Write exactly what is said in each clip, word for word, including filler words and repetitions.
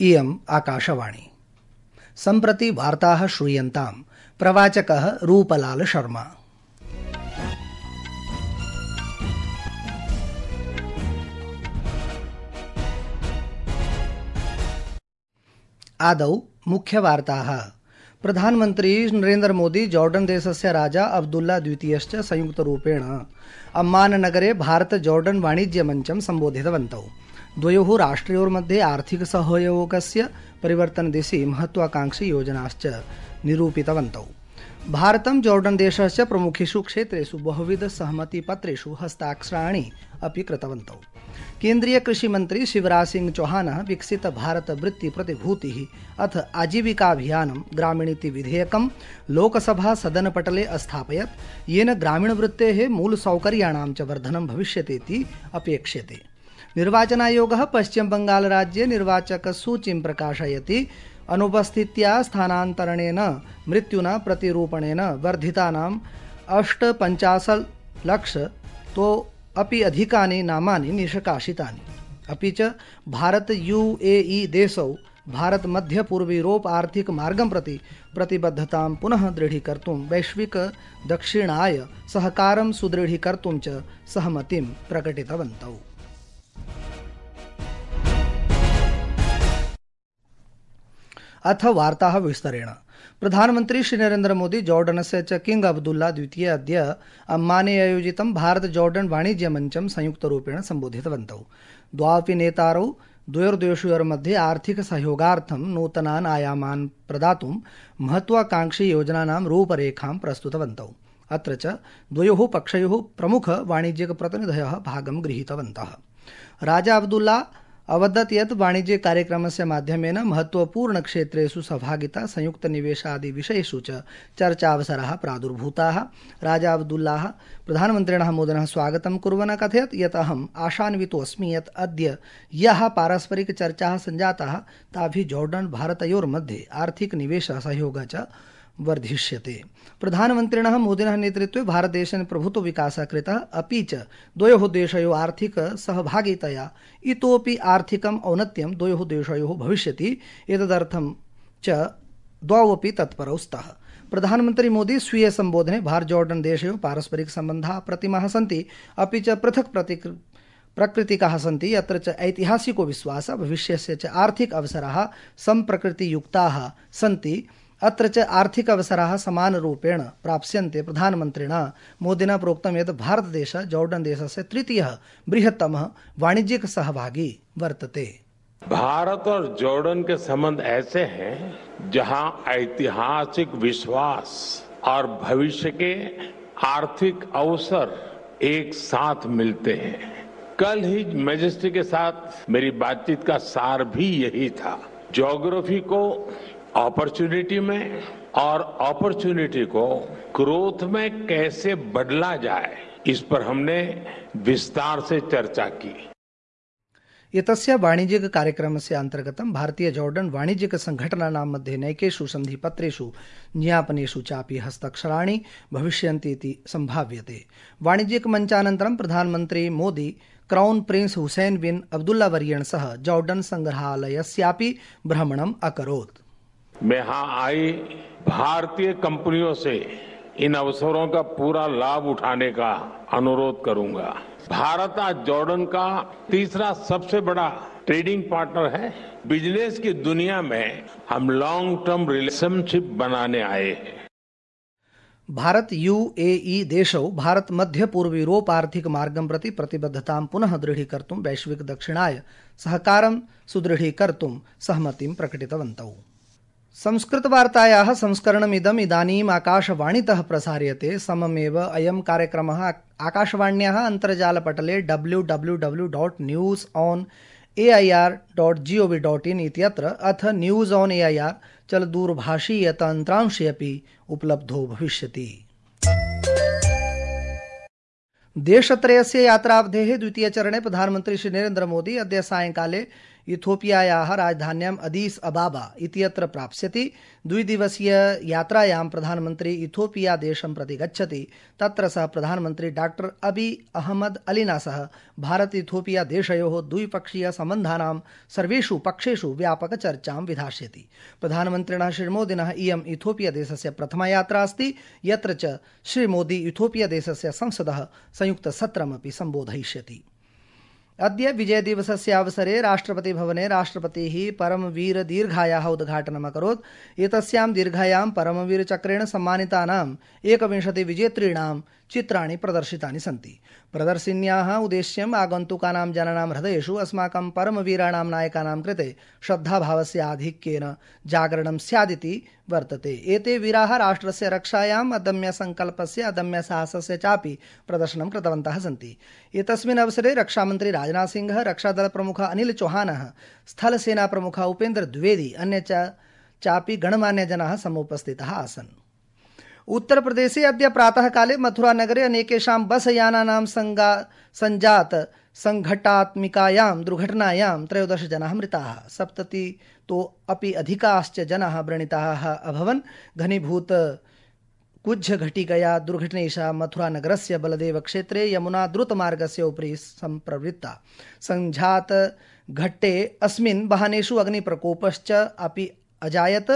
इयम् आकाशवाणी। सम्प्रति वार्ताः श्रूयन्ताम्। प्रवाचकः रूपलाल शर्मा। आदौ मुख्यवार्ताः। प्रधानमन्त्री नरेन्द्र मोदी जॉर्डन देशस्य राजा अब्दुल्ला द्वितीयश्च संयुक्तरूपेण अम्मान नगरे भारत जॉर्डन वाणिज्य मञ्चं सम्बोधितवन्तौ। द्वयोः राष्ट्रयोर्मध्ये आर्थिक सहयोगस्य परिवर्तनदिशि महत्वाकांक्षी योजनाश्च निरूपितवन्तौ। भारतं जॉर्डन देशस्य प्रमुखेषु क्षेत्रेषु बहुविध सहमतिपत्रेषु हस्ताक्षराणि अपि कृतवन्तौ। केन्द्रीय कृषि मंत्री शिवराज सिंह चौहानः विकसित भारत वृत्ति प्रतिभूतिः अथ आजीविकाभियानं ग्रामीणीति विधेयकं लोकसभा सदनपटले अस्थापयत्, येन ग्रामीणवृत्तेः मूलसौकर्याणां च वर्धनं भविष्यतीति अपेक्ष्यते। निर्वाचनायोगः पश्चिम बंगाल राज्ये निर्वाचकसूचीं प्रकाशयति। अनुपस्थित्या स्थानान्तरणेन मृत्युना प्रतिरूपणेन वर्धितानाम् अष्टपञ्चाशत् लक्ष तो अपि अधिकानि नामानि निष्कासितानि। अपि च भारत यूएई देशौ भारत मध्य पूर्वयूरोप आर्थिक मार्गं प्रति प्रतिबद्धतां पुनः दृढीकर्तुं वैश्विक दक्षिणाय सहकारं सुदृढीकर्तुं च सहमतिं प्रकटितवन्तौ। अथ वार्ताः विस्तरेण। प्रधानमन्त्री श्री नरेन्द्र मोदी जॉर्डनस्य च किंग अब्दुल्ला द्वितीय अद्य अम्माने आयोजितं भारत जॉर्डन वाणिज्य मञ्चं संयुक्तरूपेण सम्बोधितवन्तौ। द्वावपि नेतारौ द्वयोर्देशयोर्मध्ये आर्थिक सहयोगार्थं नूतनान् आयामान् प्रदातुं महत्वाकांक्षी योजनानां रूपरेखां प्रस्तुतवन्तौ। अत्र च द्वयोः पक्षयोः प्रमुख वाणिज्यिक प्रतिनिधयः भागं गृहीतवन्तः। राजा अब्दुल्ला अवदत् यत् वाणिज्य कार्यक्रमस्य माध्यमेन महत्वपूर्ण क्षेत्रेषु सहभागिता, संयुक्त निवेशादि विषयेषु च चर्चावसराः प्रादुर्भूताः। राजा अब्दुल्लाः प्रधानमन्त्रिणः मोदिनः स्वागतं कुर्वन् कथयत् यत् अहम् आशान्वितोऽस्मि यत् अद्य याः पारस्परिक चर्चाः सञ्जाताः ताभिः जॉर्डन भारतयोर्मध्ये आर्थिक निवेश सहयोगः च वर्धिष्यते। प्रधानमन्त्रिणः मोदिनः नेतृत्वे भारतदेशेन प्रभुत्व विकासः कृतः, अपि च द्वयोः देशयोः आर्थिक सहभागितया इतोपि आर्थिकम् औन्नत्यं द्वयोः देशयोः भविष्यति। एतदर्थं च द्वौ अपि तत्परौ स्तः। प्रधानमन्त्री मोदी स्वीय सम्बोधने भारत जॉर्डन देशयोः पारस्परिक सम्बन्धाः प्रतिमाः सन्ति, अपि च पृथक् प्रतिक् प्रकृतिकाः सन्ति। अत्र च ऐतिहासिको विश्वासः, भविष्यस्य च आर्थिक अवसराः सम्प्रकृतियुक्ताः सन्ति। अत्र च आर्थिक अवसराः समानरूपेण प्राप्स्यन्ते। प्रधानमन्त्रिणा मोदिना प्रोक्तं यत् भारतदेशः जॉर्डन देशस्य तृतीयः बृहत्तमः वाणिज्यिक सहभागी वर्तते। भारत और जॉर्डन के संबंध ऐसे हैं जहां ऐतिहासिक विश्वास और भविष्य के आर्थिक अवसर एक साथ मिलते हैं। कल ही मैजेस्टी के साथ मेरी बातचीत का सार भी यही था। ज्योग्राफी को अपॉर्चुनिटी में और अपॉर्चुनिटी को ग्रोथ में कैसे बदला जाए, इस पर हमने विस्तार से चर्चा की। एतस्य वाणिज्यिक कार्यक्रमस्य अन्तर्गतं भारतीय जॉर्डन वाणिज्यिक संघटनानां मध्ये नैकेषु सन्धिपत्रेषु ज्ञापनेषु चापि हस्ताक्षराणि भविष्यन्ति इति सम्भाव्यते। वाणिज्यिक मञ्चानन्तरं प्रधानमन्त्री Modi crown prince Hussein bin Abdullah वर्येण सह जॉर्डन संग्रहालयस्यापि भ्रमणम् अकरोत्। मैं यहाँ आई भारतीय कंपनियों से इन अवसरों का पूरा लाभ उठाने का अनुरोध करूंगा। भारत आज जॉर्डन का तीसरा सबसे बड़ा ट्रेडिंग पार्टनर है। बिजनेस की दुनिया में हम लॉन्ग टर्म रिलेशनशिप बनाने आए हैं। भारत यूएई देशौ भारत मध्य पूर्व यूरोप आर्थिक मार्गं प्रति प्रतिबद्धतां पुनः दृढीकर्तुं वैश्विक दक्षिणाय सहकारं सुदृढीकर्तुं सहमतिं प्रकटितवन्तौ। संस्कृतवार्तायाः संस्करणमिदम् इदानीम् आकाशवाणीतः प्रसार्यते। सममेव अयं कार्यक्रमः आकाशवाण्याः अन्तर्जालपटले W W W dot news on A I R dot G O V dot in इत्यत्र अथ news on A I R चलदूरभाषीय तन्त्रांशे अपि उपलब्धो भविष्यति। देशत्रयस्य यात्रावधेः द्वितीयचरणे प्रधानमन्त्री श्री नरेन्द्र मोदी अद्य सायंकाले इथोपियायाः राजधान्याम् अदीस अबाबा इत्यत्र प्राप्स्यति। द्विदिवसीय यात्रायां प्रधानमन्त्री इथोपिया देशं प्रति गच्छति। तत्र सः प्रधानमन्त्री डॉक्टर अबी अहमद अलिना सह भारत इथोपिया देशयोः द्विपक्षीय सम्बन्धानां सर्वेषु पक्षेषु व्यापकचर्चां विधास्यति। प्रधानमन्त्रिणः श्रीमोदिनः इयम् इथोपिया देशस्य प्रथमा यात्रा अस्ति, यत्र च श्रीमोदी इथोपिया देशस्य संसदः संयुक्तसत्रमपि सम्बोधयिष्यति। अद्य विजय दिवसस्य अवसरे राष्ट्रपति भवने राष्ट्रपतिः परमवीर दीर्घायाः उद्घाटनम् अकरोत्। एतस्यां दीर्घायां परमवीर चक्रेण सम्मानितानाम् एकविंशति विजेतॄणां चित्राणि प्रदर्शितानि सन्ति। प्रदर्शिन्याः उद्देश्यम् आगन्तुकानां जनानां हृदयेषु अस्माकं परमवीराणां नायकानां कृते श्रद्धाभावस्य आधिक्येन जागरणं स्यादिति वर्तते। एते वीराः राष्ट्रस्य रक्षायाम् अदम्य संकल्पस्य अदम्य साहसस्य चापि प्रदर्शनं कृतवन्तः सन्ति। एतस्मिन् अवसरे रक्षामन्त्री राजनाथ सिंह, रक्षादल प्रमुखः अनिल चौहानः, स्थलसेना प्रमुखः उपेन्द्र द्विवेदी, अन्य च चापि गणमान्यजनाः समुपस्थिताः आसन्। उत्तर प्रदेशे अद्य प्रातः काले मथुरा नगरे अनेकेषां बस यानानां संजात संघटात्मिकायां दुर्घटनायां त्रयोदश जनाः मृताः, सप्ततितो अपि अधिकाश्च जनाः व्रणिताः अभवन्। घनीभूत कुज्झ घटिकया दुर्घटनेशा मथुरा नगरस्य बलदेव क्षेत्रे यमुना द्रुतमार्गस्य उपरि सम्प्रवृत्ता। संजात घट्टे अस्मिन् वाहनेषु अग्निप्रकोपश्च अपि अजायत।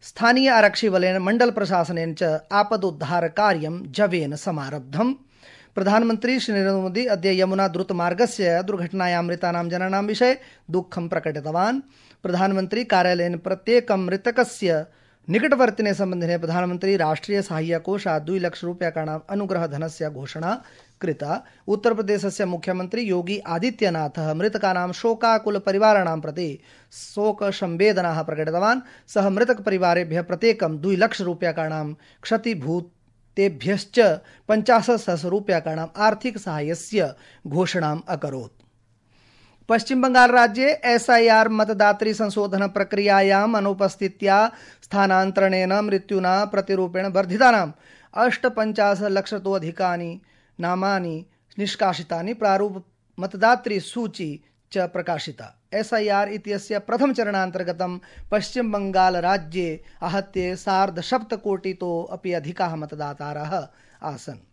स्थानीय आरक्षिबलेन मण्डल प्रशासनेन च आपदोद्धार कार्यं जवेन समारब्धम्। प्रधानमन्त्री श्री नरेन्द्र मोदी अद्य यमुना द्रुतमार्गस्य दुर्घटनायां मृतानां जनानां विषये दुःखं प्रकटितवान्। प्रधानमन्त्री कार्यालयेन प्रत्येकं मृतकस्य निकटवर्तिने सम्बन्धिने प्रधानमन्त्री राष्ट्रिय साहाय्यकोषात् द्विलक्षरूप्यकाणाम् अनुग्रहधनस्य घोषणा कृता। उत्तर प्रदेशस्य मुख्यमन्त्री योगी आदित्यनाथः मृतकानां शोकाकुल परिवाराणां प्रति शोकसंवेदनाः प्रकटितवान्। सः मृतकपरिवारेभ्यः प्रत्येकं द्विलक्षरूप्यकाणां क्षतिभूतेभ्यश्च पञ्चाशत् सहस्ररूप्यकाणाम् आर्थिकसाहाय्यस्य घोषणाम् अकरोत्। पश्चिम बंगाल राज्ये एसआईआर मतदात्री संशोधन प्रक्रियायाम् अनुपस्थित्या स्थानान्तरणेन मृत्युना प्रतिरूपेण वर्धितानाम् अष्टपञ्चाशत् लक्षतोऽधिकानि नामानि निष्कासितानि। प्रारूप मतदात्री सूची च प्रकाशिता। एसआईआर इत्यस्य प्रथम चरणान्तर्गतं पश्चिम बंगाल राज्ये आहत्य सार्धसप्तकोटितो अपि अधिकाः मतदातारः आसन्।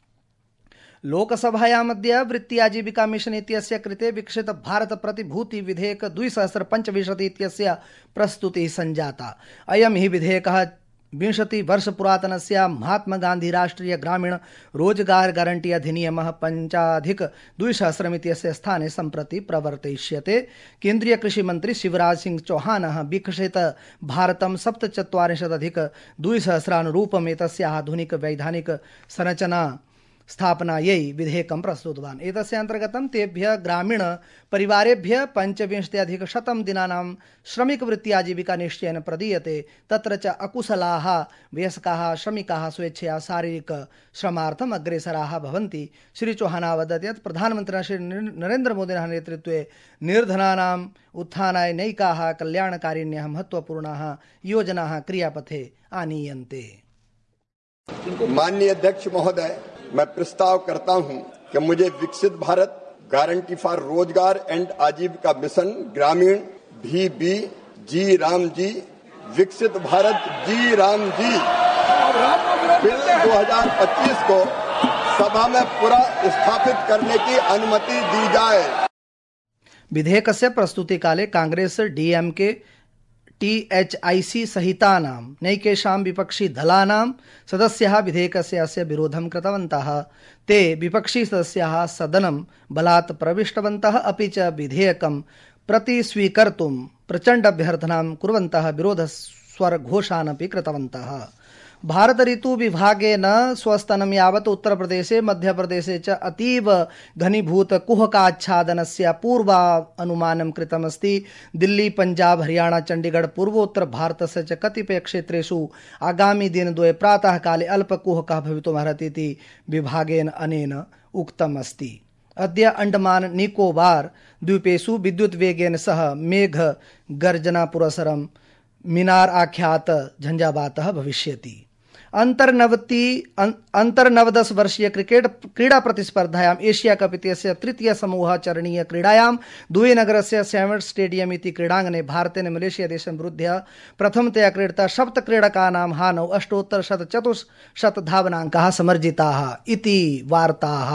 लोकसभायामद्य वृत्ति आजीविका मिशन इत्यस्य कृते विकसित भारत प्रतिभूति विधेयक द्विसहस्र पञ्चविंशति इत्यस्य प्रस्तुतिः सञ्जाता। अयं हि विधेयकः विंशति वर्ष पुरातनस्य महात्मा गांधी राष्ट्रीय ग्रामीण रोजगार गारंटी अधिनियमः पञ्चाधिक द्विसहस्रम् इत्यस्य स्थाने सम्प्रति प्रवर्तयिष्यते। केन्द्रीय कृषि मंत्री शिवराज सिंह चौहानः विकसित भारतं सप्तचत्वारिंशदधिक द्विसहस्रानुरूपम् एतस्य आधुनिक वैधानिक संरचना स्थापनायै विधेयकं प्रस्तुतवान्। एतस्य अन्तर्गतं तेभ्यः ग्रामीण परिवारेभ्यः पञ्चविंशत्यधिकशतं दिनानां श्रमिकवृत्ति आजीविका निश्चयेन प्रदीयते। तत्र च अकुशलाः वयस्काः श्रमिकाः स्वेच्छया शारीरिक श्रमार्थम् अग्रेसराः भवन्ति। श्री चौहानः अवदत् यत् प्रधानमन्त्रिणा श्री नरेन्द्र मोदिनः नेतृत्वे निर्धनानाम् उत्थानाय नैकाः कल्याणकारिण्यः महत्वपूर्णाः योजनाः क्रियापथे आनीयन्ते। माननीय अध्यक्ष महोदय, मैं प्रस्ताव करता हूं कि मुझे विकसित भारत गारंटी फॉर रोजगार एंड आजीविका मिशन ग्रामीण भी बी जी राम जी विकसित भारत जी राम जी बिल दो हज़ार पच्चीस को सभा में पूरा स्थापित करने की अनुमति दी जाए। विधेयकस्य प्रस्तुतिकाले कांग्रेस डीएमके टीएचआईसी सहितानां नैकेषां विपक्षी दलानां सदस्याः विधेयकस्य अस्य विरोधं कृतवन्तः। ते विपक्षी सदस्याः सदनं बलात् प्रविष्टवन्तः, अपि च विधेयकं प्रतिस्वीकर्तुं प्रचण्ड अभ्यर्थनां कुर्वन्तः विरोधस्वरघोषानपि कृतवन्तः। भारत ऋतु विभागेन स्वस्तनं यावत् उत्तर प्रदेशे मध्य प्रदेशे च अतीव घनीभूत कुहकाच्छादनस्य पूर्वानुमानं कृतमस्ति। दिल्ली पंजाब हरियाणा चंडीगढ़ पूर्वोत्तर भारतस्य च कतिपय क्षेत्रेषु आगामि दिनद्वये प्रातः काले अल्पकुहकः भवितुमर्हति इति विभागेन अनेन उक्तम् अस्ति। अद्य अंडमान निकोबार द्वीपेषु विद्युत् वेगेन सह मेघ गर्जना पुरस्सरं मिनार आख्यात झंझावातः भविष्यति। अंतर्नवति अंतर्नवदश वर्षीय क्रिकेट क्रीडा प्रतिस्पर्धायाम् एशिया कप इत्यस्य तृतीय समूह चरणीय क्रीडायां दुबई नगरस्य सैमट् स्टेडियम इति क्रीडाङ्गणे भारतेन मलेशिया देशं विरुध्य प्रथमतया क्रीडिता सप्त क्रीडकानां हानौ अष्टोत्तर शत चतुश्शत धावनाङ्काः समर्जिताः इति वार्ताः।